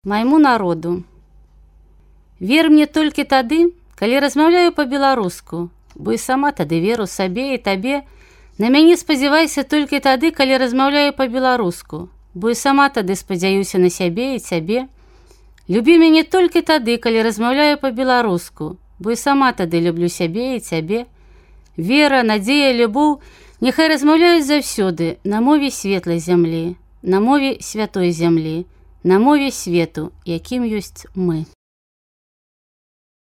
Майму народу. Вер мне толькі тады, калі размаўляю па-беларуску, бо і сама тады веру сабе і табе. На мяне спадзявайся толькі тады, калі размаўляю па-беларуску, бо і сама тады спадзяюся на сябе і цябе. Любі мяне толькі тады, калі размаўляю па-беларуску, бо і сама тады люблю сябе і цябе. Вера, надзея, любоў няхай размаўляюць заўсёды на мове светлай зямлі, на мове святой зямлі, на мове свету, якім ёсць мы.